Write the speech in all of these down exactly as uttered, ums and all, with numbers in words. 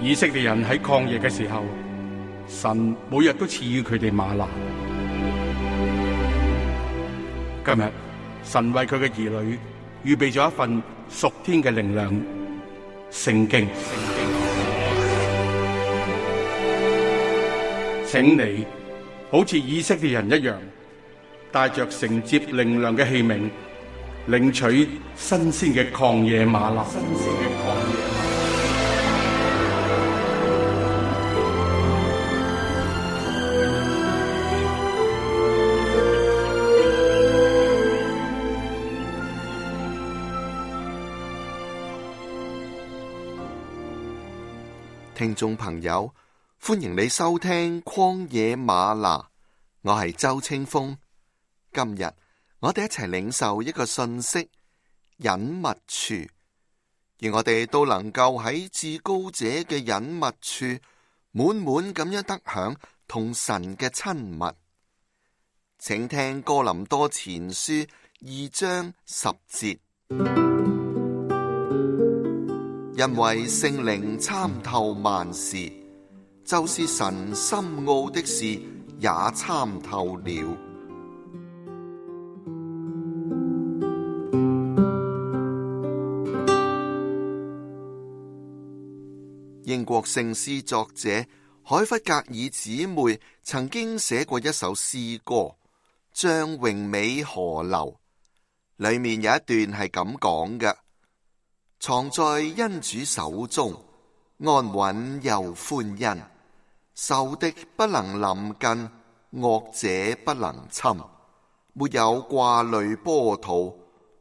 以色列人喺曠野嘅時候，神每日都賜予佢哋嗎哪。今日神為佢嘅兒女預備咗一份屬天嘅靈糧——聖經。請你好似以色列人一樣，帶着承接靈糧嘅器皿，領取新鮮嘅曠野嗎哪。新鮮嘅曠野嗎哪。聽眾朋友，歡迎你收聽曠野嗎哪，我係周清風。今日我哋一齊領受一個信息：隱密處，而我哋都能夠喺至高者嘅隱密處，滿滿咁樣得享同神嘅親密。請聽哥林多前書二章十節。因為聖靈參透萬事，就是神深奧的事也參透了。英國聖詩作者海弗格爾姊妹曾經寫過一首詩歌《將榮美河流》，裏面有一段係咁講嘅：藏在恩主手中，安穩又歡欣，仇敵不能臨近，惡者不能侵，沒有掛慮波濤，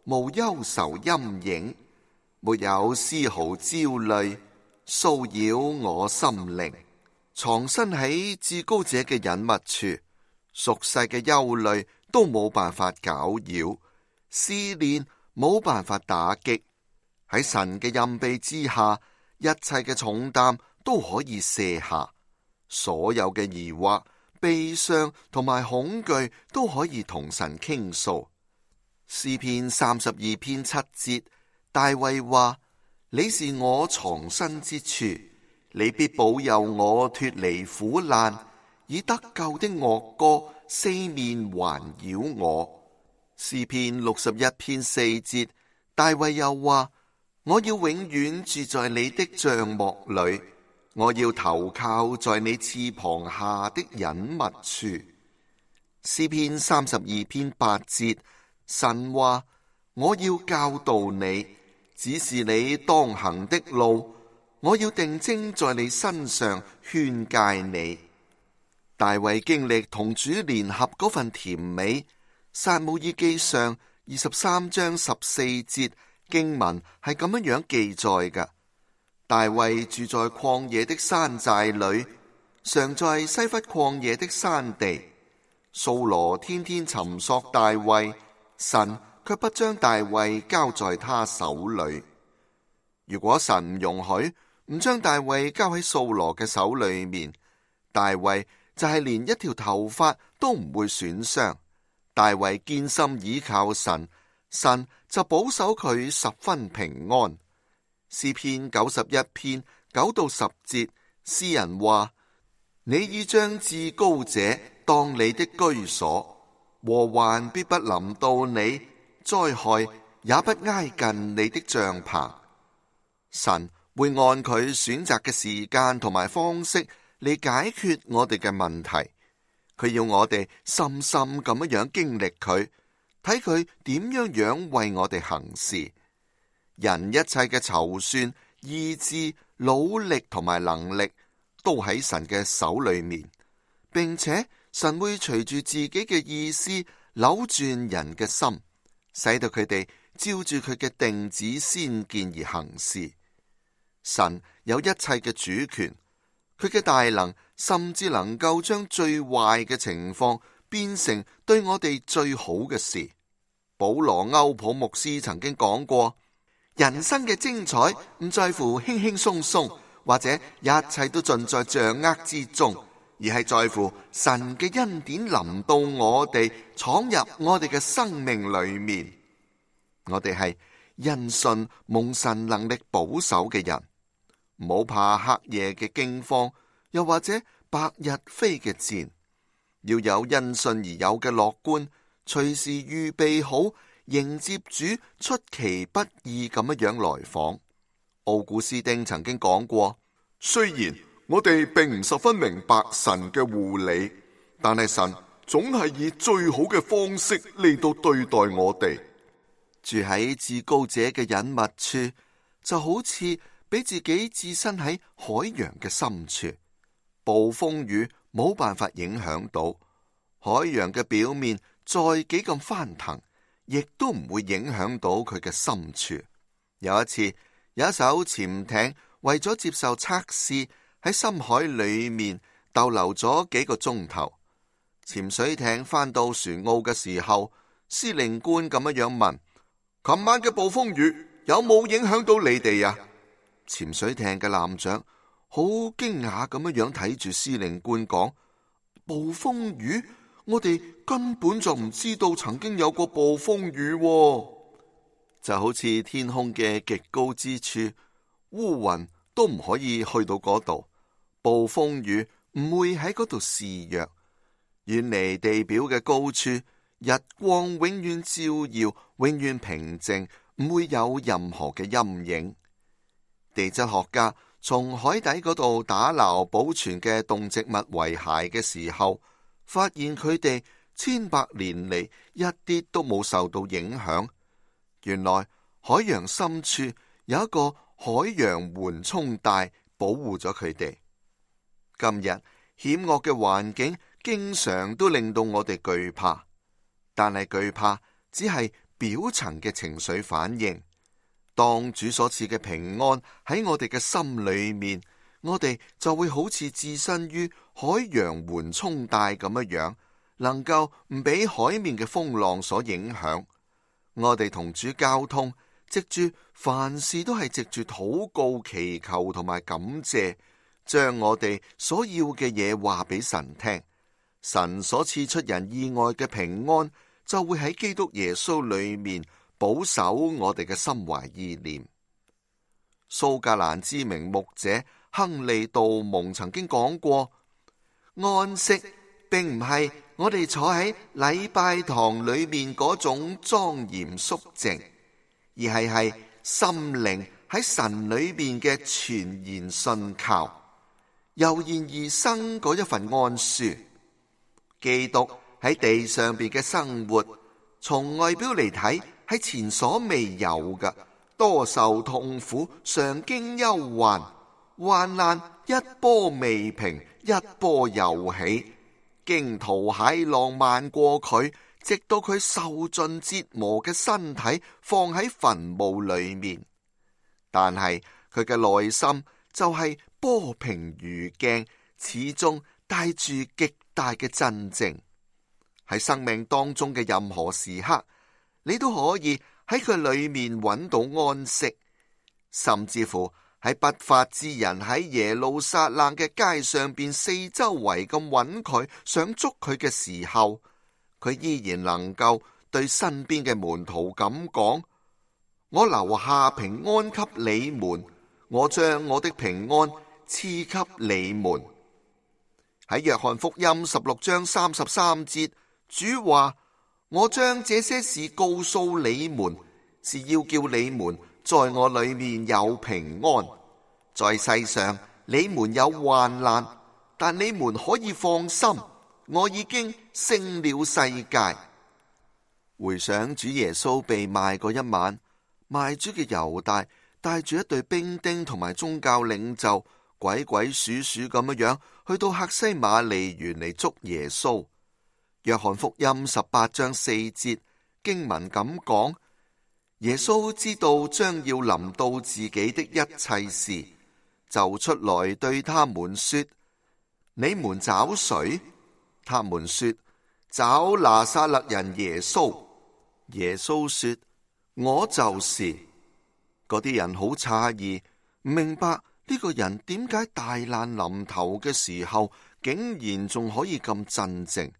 無憂愁陰影，沒有絲毫焦慮騷擾我心靈。藏身喺至高者嘅隱密處，俗世嘅憂慮都冇辦法攪擾，試煉冇辦法打擊。喺神嘅蔭庇之下，一切嘅重擔都可以卸下，所有嘅疑惑、悲傷同埋恐懼都可以同神傾訴。詩篇三十二篇七節，大衛話：你是我藏身之處，你必保佑我脫離苦難，以得救的樂歌四面環繞我。詩篇六十一篇四節，大衛又話：我要永遠住在你的帳幕裏，我要投靠在你翅膀下的隱密處。詩篇三十二篇八節，神話：我要教導你，指示你當行的路，我要定睛在你身上勸誡你。大衛經歷同主聯合嗰份甜美，撒母耳記上二十三章十四節經文係咁樣樣記載嘅：大衛住在曠野的山寨裏，常在西弗曠野的山地。掃羅天天尋索大衛，神卻不將大衛交在他手裏。如果神唔容許，唔將大衛交喺掃羅嘅手裏面，大衛就係連一條頭髮都唔會損傷。大衛堅心倚靠神，神就保守佢十分平安。詩篇九十一篇九到十節，詩人話：你已將至高者當你的居所，禍患必不臨到你，災害也不挨近你的帳篷。神會按佢選擇嘅時間同埋方式嚟解決我哋嘅問題，佢要我哋深深咁樣經歷佢，睇佢點樣樣為我哋行事。人一切嘅籌算、意志、努力同埋能力都喺神嘅手裏面，並且神會隨住自己嘅意思扭轉人嘅心，使到佢哋照住佢嘅定旨先見而行事。神有一切嘅主權，佢嘅大能甚至能夠將最壞嘅情況變成對我哋最好嘅事。保羅歐普牧師曾經講過：人生嘅精彩唔在乎輕輕鬆鬆，或者一切都盡在掌握之中，而係在乎神嘅恩典臨到我哋，闖入我哋嘅生命裏面。我哋係因信蒙神能力保守嘅人。唔好怕黑夜嘅驚慌，又或者白日飛嘅箭，要有因信而有嘅樂觀，隨時預備好迎接主出其不意咁樣樣來訪。奧古斯丁曾經講過，雖然我哋並唔十分明白神嘅護理，但係神總係以最好嘅方式嚟到對待我哋。住喺至高者嘅隱密處，就好似俾自己置身喺海洋嘅深處，暴風雨冇辦法影響到。海洋嘅表面再幾咁翻騰，亦都唔會影響到佢嘅深處。有一次，有一艘潛艇為咗接受測試，喺深海裏面逗留咗幾個鐘頭。潛水艇翻到船澳嘅時候，司令官咁樣樣問：琴晚嘅暴風雨有冇影響到你哋啊？潛水艇嘅艦長好驚訝咁樣樣睇住司令官講：暴風雨？我哋根本就唔知道曾經有過暴風雨喎。就好似天空嘅極高之處，烏雲都唔可以去到嗰度，暴風雨唔會喺嗰度肆虐。遠離地表嘅高處，日光永遠照耀，永遠平靜，唔會有任何嘅陰影。地質學家從海底嗰度打撈保存嘅動植物遺骸嘅時候，發現佢哋千百年嚟一啲都冇受到影響。原來海洋深處有一個海洋緩衝帶保護咗佢哋。今日險惡嘅環境經常都令到我哋懼怕，但係懼怕只係表層嘅情緒反應。當主所賜嘅平安喺我哋嘅心裏面，我哋就會好似置身於海洋緩衝帶咁樣樣，能夠唔俾海面嘅風浪所影響。我哋同主交通，藉住凡事都係藉住禱告、祈求同埋感謝，將我哋所要嘅嘢話俾神聽。神所賜出人意外嘅平安，就會喺基督耶穌裏面保守我哋嘅心懷意念。蘇格蘭知名牧者亨利杜蒙曾經講過，安息並唔係我哋坐喺禮拜堂裏面嗰種莊嚴肅靜，而係係心靈喺神裏面嘅全然信靠，油然而生嗰一份安舒。基督喺地上邊嘅生活，從外表嚟睇係前所未有嘅，多受痛苦，常經憂患，患難一波未平，一波又起，驚濤駭浪漫過佢，直到佢受盡折磨嘅身體放喺墳墓裏面。但係佢嘅內心就係波平如鏡，始終帶住極大嘅鎮靜。喺生命當中嘅任何時刻，你都可以喺佢裏面揾到安息，甚至乎喺不法之人喺耶路撒冷嘅街上邊四周圍咁揾佢，想捉佢嘅時候，佢依然能夠對身邊嘅門徒咁講：我留下平安給你們，我將我的平安賜給你們。喺約翰福音十六章三十三節，主話：我將這些事告訴你們，是要叫你們在我裏面有平安。在世上你們有患難，但你們可以放心，我已經勝了世界。回想主耶穌被賣嗰一晚，賣主嘅猶大帶住一隊兵丁同埋宗教領袖，鬼鬼祟祟咁樣樣去到客西馬尼園嚟捉耶穌。約翰福音十八章四節經文咁講：耶穌知道將要臨到自己的一切事，就出來對他們說：你們找誰？他們說：找拿撒勒人耶穌。耶穌說：我就是。嗰啲人好詫異，唔明白呢個人點解大難臨頭嘅時候，竟然仲可以咁鎮靜，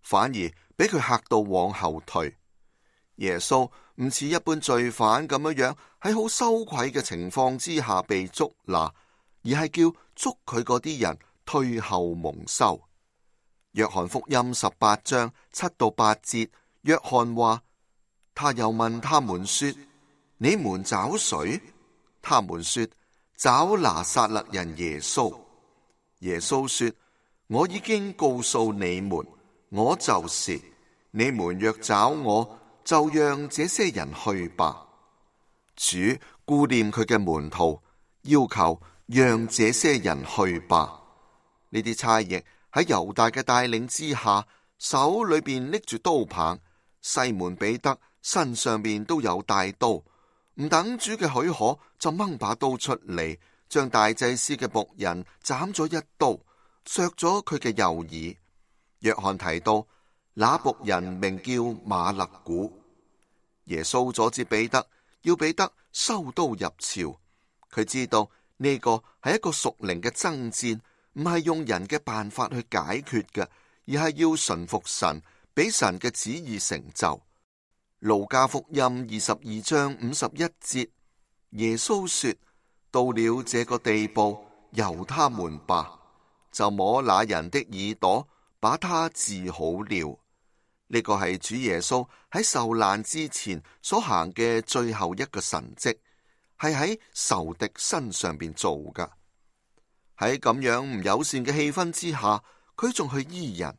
反而俾佢嚇到往後退。耶穌唔似一般罪犯咁樣樣，喺好羞愧嘅情況之下被捉拿，而係叫捉佢嗰啲人退後蒙羞。約翰福音十八章七到八節，約翰話：他又問他們說：你們找誰？他們說：找拿撒勒人耶穌。耶穌說：我已經告訴你們，我就是。你們若找我，就讓這些人去吧。主顧念佢嘅門徒，要求讓這些人去吧。呢啲差役喺猶大嘅帶領之下，手裏邊拎住刀棒，西門彼得身上邊都有帶刀，唔等主嘅許可，就掹把刀出嚟，將大祭司嘅僕人斬咗一刀，削咗佢嘅右耳。約翰提到那僕人名叫馬勒古。耶穌阻止彼得，要彼得收刀入鞘。佢知道呢個係一個屬靈嘅爭戰，唔係用人嘅辦法去解決嘅，而係要順服神，俾神嘅旨意成就。路加福音二十二章五十一節，耶穌說：到了這個地步，由他們吧，就摸那人的耳朵，把他治好了。呢個係主耶穌喺受難之前所行嘅最後一個神蹟，係喺仇敵身上邊做噶。喺咁樣唔友善嘅氣氛之下，佢仲去醫人。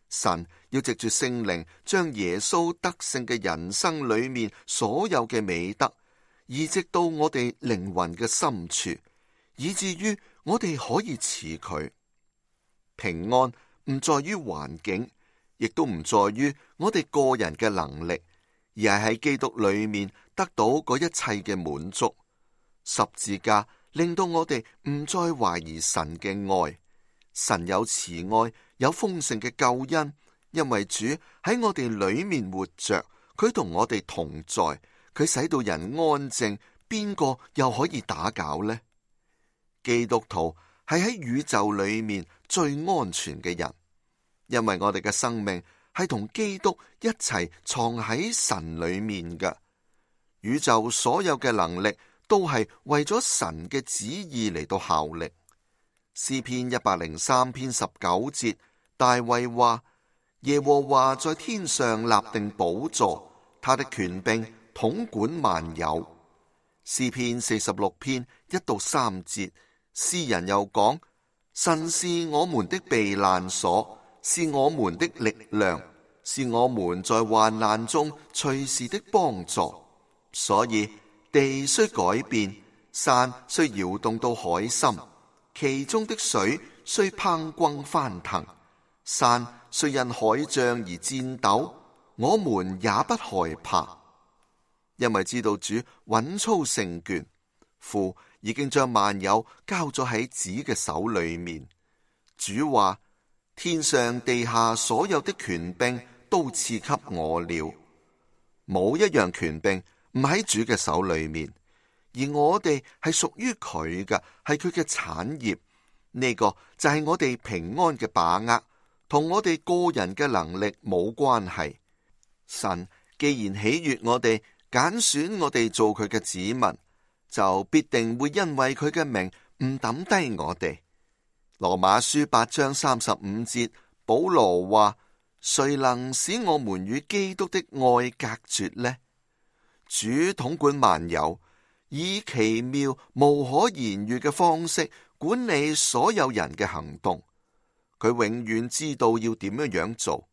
神要藉住聖靈，將耶穌得勝嘅人生裏面所有嘅美德移植到我哋靈魂嘅深處，以至於我哋可以似佢。平安唔在於環境，亦都唔在於我哋個人嘅能力，而係喺基督裏面得到嗰一切嘅滿足。十字架令到我哋唔再懷疑神嘅愛，神有慈愛，有豐盛嘅救恩，因為主喺我哋裏面活着，佢同我哋同在，佢使到人安靜，邊個又可以打攪呢？基督徒係喺宇宙裏面最安全嘅人，因為我哋嘅生命係同基督一齊藏喺神裏面嘅。宇宙所有嘅能力都係為咗神嘅旨意嚟到效力。詩篇一百零三篇十九節，大衛話：耶和華在天上立定寶座，他的權柄統管萬有。詩篇四十六篇一到三節，詩人又講：神是我們的避難所，是我們的力量，是我們在患難中隨時的幫助。所以地雖改變，山雖搖動到海心，其中的水雖匉訇翻騰，山雖因海漲而顫抖，我們也不害怕，因為知道主穩操勝券，父已經將萬有交咗喺子嘅手裏面。主話：天上地下所有的權柄都賜給我了，冇一樣權柄唔喺主嘅手裏面，而我哋係屬於佢嘅，係佢嘅產業。呢個就係我哋平安嘅把握，同我哋個人嘅能力冇關係。神既然喜悅我哋，揀選我哋做佢嘅子民，就必定會因為佢嘅名唔抌低我哋。羅馬書八章三十五節，保羅話：誰能使我們與基督的愛隔絕呢？主統管萬有，以奇妙無可言喻嘅方式管理所有人嘅行動。佢永遠知道要點樣樣做，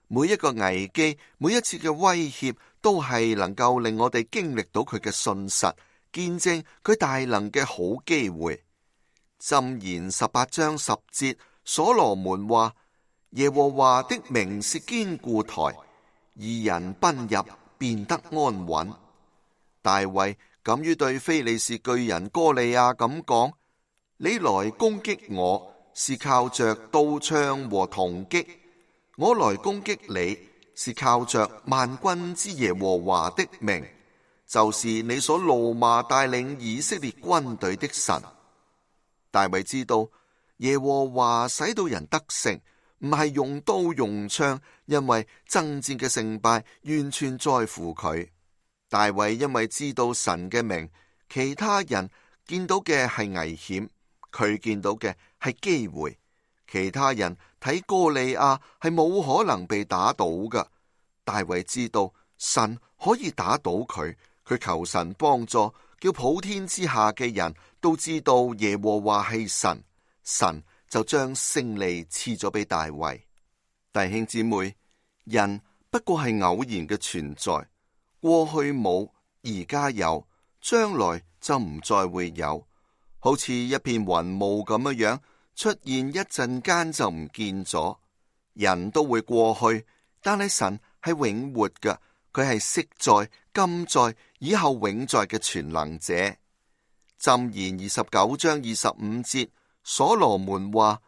每一個危機，每一次嘅威脅，都係能夠令我哋經歷到佢嘅信實，見證佢大能嘅好機會。箴言十八章十節，所羅門話：耶和華的名是堅固台，義人奔入便得安穩。大衛敢於對非利士巨人哥利亞咁講：你來攻擊我，是靠着刀槍和銅戟；我來攻擊你，是靠着萬軍之耶和華的名，就是你所怒罵帶領以色列軍隊的神。大衛知道耶和華使到人得勝，唔係用刀用槍，因為爭戰嘅勝敗完全在乎佢。大衛因為知道神嘅名，其他人見到嘅係危險，佢見到嘅係機會，其他人睇哥利亞係冇可能被打倒㗎。大衛知道神可以打倒佢，佢求神幫助，叫普天之下嘅人都知道耶和華係神，神就將勝利賜咗俾大衛。弟兄姊妹，人不過係偶然嘅存在，過去冇，而家有，將來就唔再會有，好似一片雲霧咁樣樣，出現一陣間就唔見咗。人都會過去，但係神係永活嘅，佢係昔在、今在、以後永在嘅全能者。箴言二十九章二十五節，所羅門話：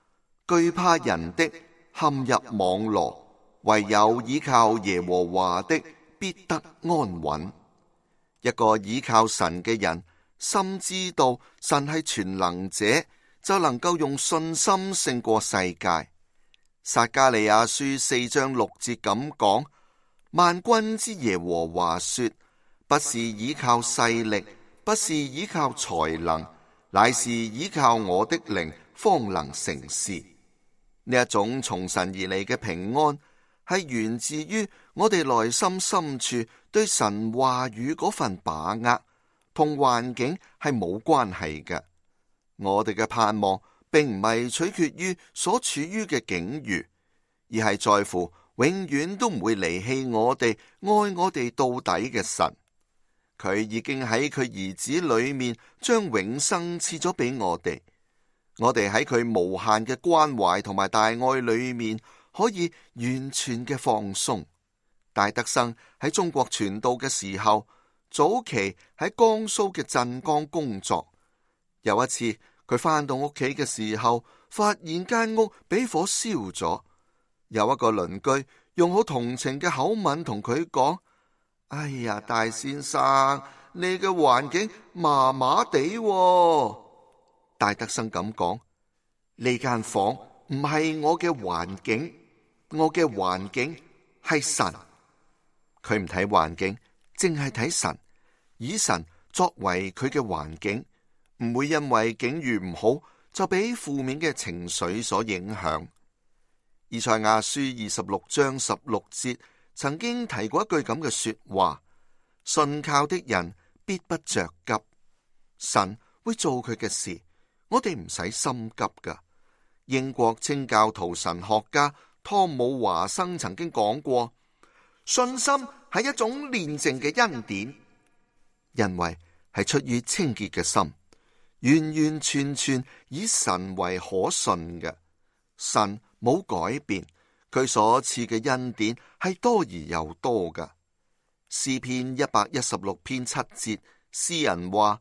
懼怕人的陷入網羅，唯有倚靠耶和華的必得安穩。一個倚靠神嘅人，深知道神係全能者，就能夠用信心勝過世界。撒迦利亞書四章六節咁講：萬軍之耶和華說，不是倚靠勢力，不是倚靠才能，乃是倚靠我的靈，方能成事。呢一種從神而嚟嘅平安，係源自於我哋內心深處對神話語嗰份把握，同環境係冇關係嘅。我哋嘅盼望並唔係取決於所處於嘅境遇，而係在乎永遠都唔會離棄我哋、愛我哋到底嘅神。佢已經喺佢兒子裏面將永生賜咗俾我哋。我哋喺佢無限嘅關懷同埋大愛裏面，可以完全嘅放鬆。戴德生喺中國傳道嘅時候，早期喺江蘇嘅鎮江工作。有一次佢返到屋企嘅時候，發現間屋俾火燒咗。有一個鄰居用好同情嘅口吻同佢講：哎呀，大先生，你嘅環境麻麻地。戴德生咁講：呢間房唔係我嘅環境，我嘅環境係神。佢唔睇環境，淨係睇神，以神作為佢嘅環境，唔會因為境遇唔好就俾負面嘅情緒所影響。以賽亞書二十六章十六節曾經提過一句咁嘅說話：信靠的人必不着急。神會做佢嘅事，我哋唔使心急噶。英國清教徒神學家湯姆華生曾經講過：信心係一種煉淨嘅恩典，因為係出於清潔嘅心，完完全全以神為可信嘅。神冇改變，佢所賜嘅恩典係多而又多噶。詩篇一百一十六篇七節，詩人話：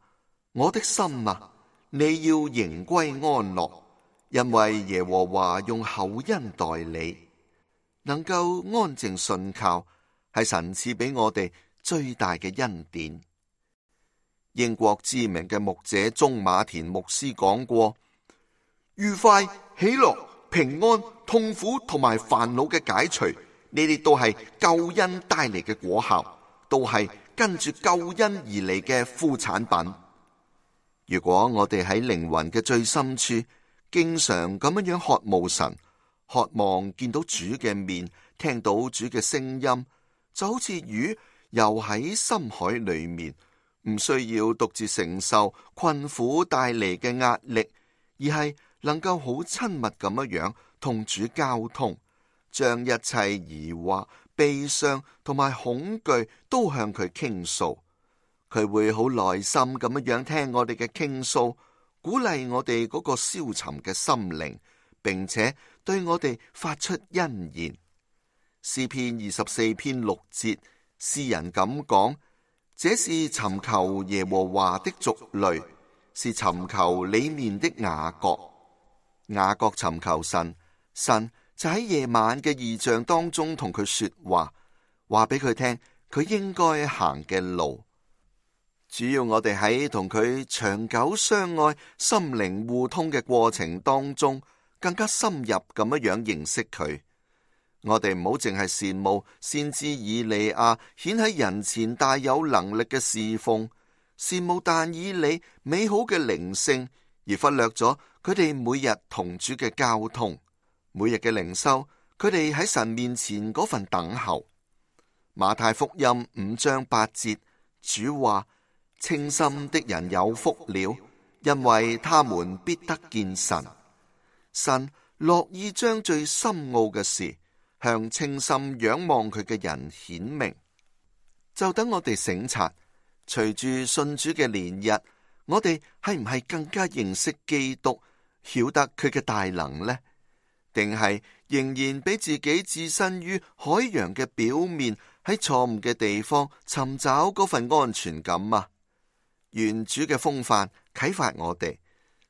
我的心啊，你要迎歸安樂，因為耶和華用厚恩待你。能夠安靜信靠，係神賜俾我哋最大嘅恩典。英國知名嘅牧者鍾馬田牧師講過：愉快、喜樂、平安、痛苦同埋煩惱嘅解除，呢啲都係救恩帶嚟嘅果效，都係跟住救恩而嚟嘅副產品。如果我哋喺靈魂嘅最深處，經常咁樣樣渴慕神，渴望見到主嘅面，聽到主嘅聲音，就好似魚游喺深海裏面，唔需要獨自承受困苦帶嚟嘅壓力，而係能夠好親密咁樣樣同主交通，將一切疑惑、悲傷同埋恐懼都向佢傾訴。佢會好耐心咁樣樣聽我哋嘅傾訴，鼓勵我哋嗰個消沉嘅心靈，並且對我哋發出恩言。詩篇二十四篇六節，詩人咁講：這是尋求耶和華的族類，是尋求你面的雅各。雅各尋求神，神就喺夜晚嘅異象當中同佢說話，話俾佢聽佢應該行嘅路。主要我哋喺同佢長久相愛、心靈互通嘅過程當中，更加深入咁樣樣認識佢。我哋唔好淨係羨慕先知以利亞顯喺人前大有能力嘅侍奉，羨慕但以理美好嘅靈性，而忽略咗佢哋每日同主嘅交通，每日嘅靈修，佢哋喺神面前嗰份等候。馬太福音五章八節，主話：清心的人有福了，因為他們必得見神。神樂意將最深奧嘅事向清心仰望佢嘅人顯明。就等我哋省察，隨住信主嘅年日，我哋係唔係更加認識基督，曉得佢嘅大能呢？定係仍然俾自己置身於海洋嘅表面，喺錯誤嘅地方尋找嗰份安全感啊？願主嘅風範啟發我哋，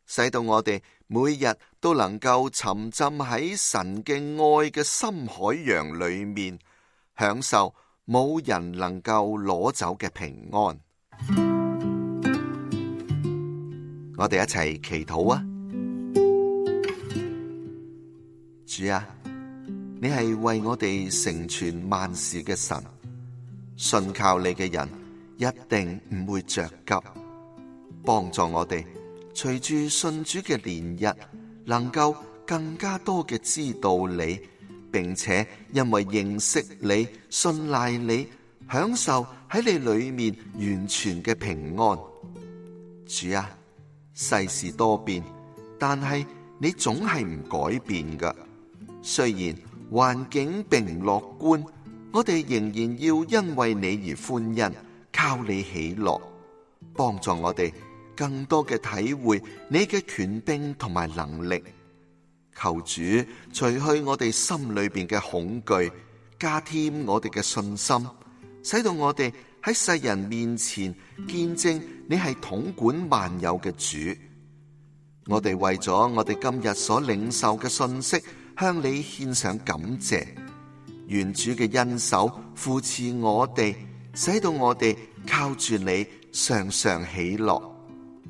使到我哋每日都能夠沉浸喺神嘅愛嘅深海洋裏面，享受冇人能夠攞走嘅平安。我哋一齊祈禱啊！主啊，你係為我哋成全萬事嘅神，信靠你嘅人一定唔會着急，幫助我哋隨住信主嘅年日，能夠更加多嘅知道你，並且因為認識你、信賴你，享受喺你裏面完全嘅平安。主啊，世事多變，但係你總係唔改變㗎。雖然環境並唔樂觀，我哋仍然要因為你而歡欣，靠你喜樂，幫助我哋更多嘅體會你嘅權柄同埋能力。求主除去我哋心裏邊嘅恐懼，加添我哋嘅信心，使到我哋喺世人面前見證你係統管萬有嘅主。我哋為咗我哋今日所領受嘅信息，向你獻上感謝。願主嘅恩手扶持我哋，使到我哋靠住你常常喜樂。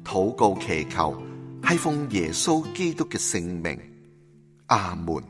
禱告祈求，係奉耶穌基督嘅聖名。阿門。